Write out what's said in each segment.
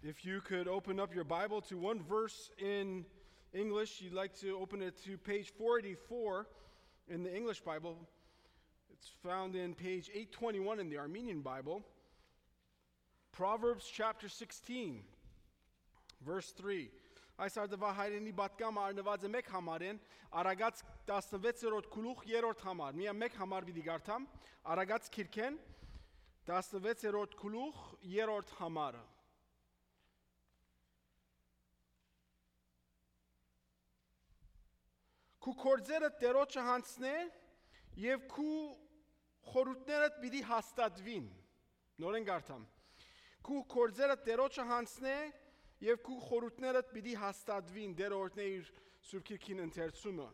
If you could open up your Bible to one verse in English, you'd like to open it to page 484 in the English Bible. It's found in page 821 in the Armenian Bible. Proverbs chapter 16, verse 3. Այս արդվա հայրենի բատկամ արնված է մեկ համարեն, Արագած 16-րդ գլուխ 3-րդ համար։ Միա մեկ համար պիտի գարտամ, Արագած քիրքեն 16-րդ գլուխ 3-րդ համարը։ Քու կորձերը տերոջը հանցնե եւ քու խորհուրդներդ պիտի հաստատվին։ Նորեն գարտամ։ Քու կորձերը տերոջը հանցնե Եվ քու խորհուրդներդ պիտի հաստատվին դեր օրհնե իր Սուրբ Քիրքին ընթերցումը։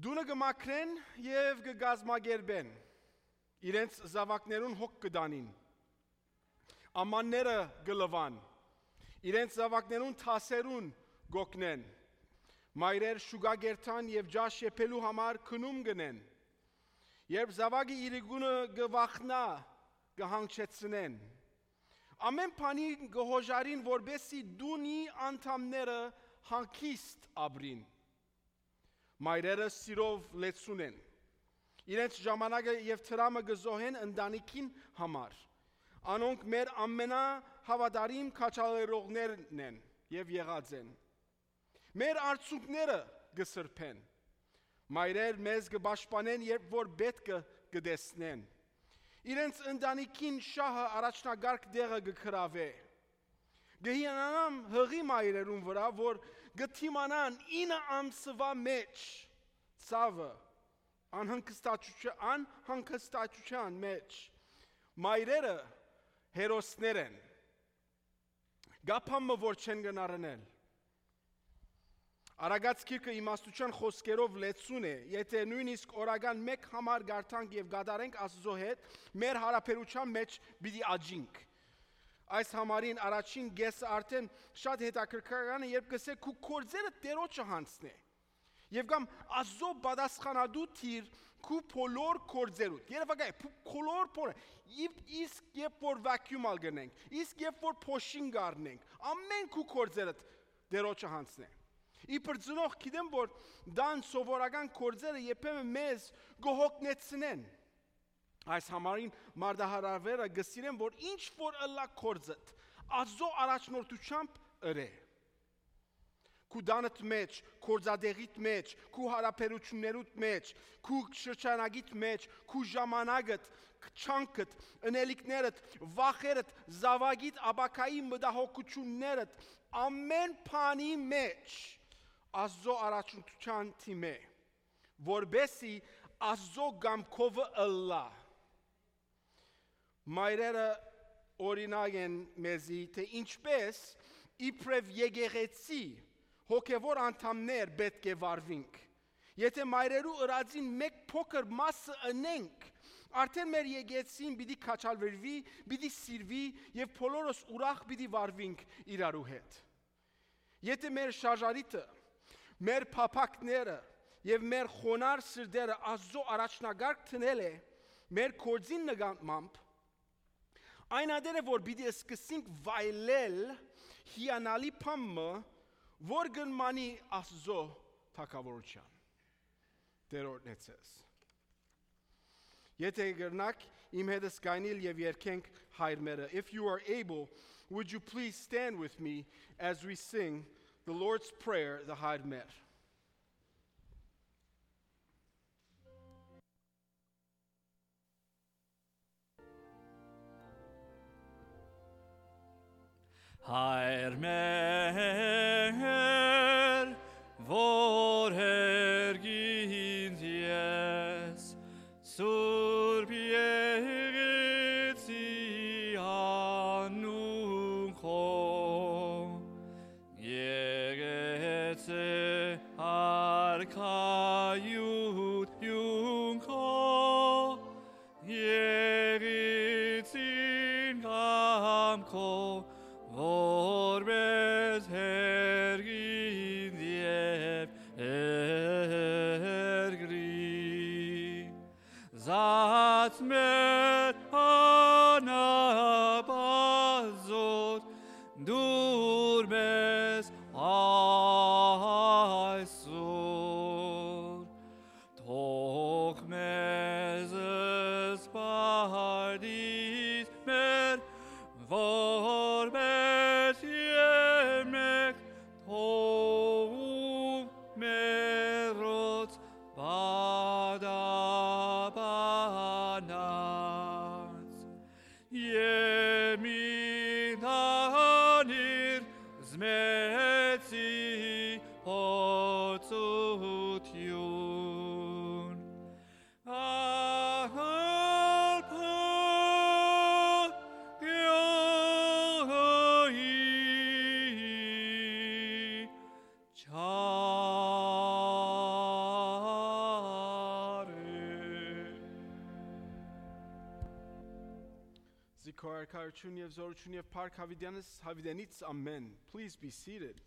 Դունը կմաքրեն եւ կգազմագերբեն։ Իրենց զավակներուն հոգ կդանին։ Ամանները կլվան։ Իրենց զավակներուն թասերուն գոկնեն։ Մայրեր շուգագերտան եւ ջաշ եփելու համար քնում գնեն։ Երբ զավակը իր գունը գվախնա, կհանգչեցնեն։ Ամեն բանի գոհոժարին որբեսի դունի անդամները հանգիստ ապրին։ Մայրերը սիրով լեցուն են։ Իրենց ժամանակը եւ տրամը գզոհեն ընտանիքին համար։ Անոնք մեր ամենահավատարիմ քաչալերողներն են եւ եղած են։ Մեր արցունքները գսրփեն։ Մայրեր մեզ կպաշտպանեն, երբ որ պետք կդեսնեն։ Իրենց ընտանիքին շահը առաջնագարկ դեղը գքրավե։ Գհիանամ հղի մայրերուն վրա, որ գթիմանան 9 ամսվա մեջ ցավը անհանգստացության մեջ մայրերը հերոսներ են։ Գափամը որ չեն գնարնել։ Արագած քիրքը իմաստության խոսքերով լեցուն է, եթե նույնիսկ օրական մեկ համար գարտանք եւ գադարենք Աստծո հետ, մեր հարաբերության մեջ պիտի աճինք։ Այս համարին առաջին գեսը արդեն շատ հետաքրքրական է, երբ կսե քու կորձերը տերոջը հանցնե։ Եվ կամ Աստծո պատասխանատու թիր քու բոլոր կորձերուդ։ Երևակայ բոլոր փորը իսկ երբ որ վակյումալ գնենք, իսկ երբ որ փոշին գառնենք, ամեն քու կորձերը տերոջը հանցնե։ Իբր ծնող գիտեմ, որ դան սովորական կորձերը երբեմն մեզ գոհոգնեցնեն։ Այս համարին մարդահարավերը գսիրեն, որ ինչ որ ըլլա կորձդ, Աստծո առաջնորդությամբ ըրե։ Քու դանդ մեջ, կորձադեղիտ մեջ, քու հարաբերություններուդ մեջ, քու շրջանագիտ մեջ, քու ժամանակդ, չանքդ, ընելիքներդ, վախերդ, զավագիտ աբակայի մտահոգություններդ, ամեն բանի մեջ Աստծո առաջնորդության թիմ է, որբեսի Աստծո գամքովը ըլլա։ Մայրերը օրինակ են մեզի, թե ինչպես իբրև եկեղեցի հոգևոր անդամներ պետք է վարվենք։ Եթե մայրերու ըրածին մեկ փոքր մասը ընենք, արդեն մեր եկեղեցին պիտի քաչալվի, պիտի սիրվի եւ բոլորս ուրախ պիտի վարվենք իրարու հետ։ Եթե մեր շարժարիտը մեր փափակները եւ մեր խոնար սրտերը Աստծո առաջնագարկ տնել է մեր կորձին նկատմամբ այն ադերը որ պիտի սկսենք վայելել հիանալի բամը որ գնմանի Աստծո թակավորության դերորն էցես Եթե գրնակ իմ հետս գայնիլ եւ երկենք հայր մերը If you are able would you please stand with me as we sing the Lord's Prayer, the Hayr Mer. Hayr Mer, vor hergint jes, sur piegezi anuncho. Arkayut yunko yeritzin gamko vorbes hergin diev ergri zat met anabazo Քո արքայություն եւ զորություն եւ փառք հավիտյանս հավիտենից ամեն. Please be seated.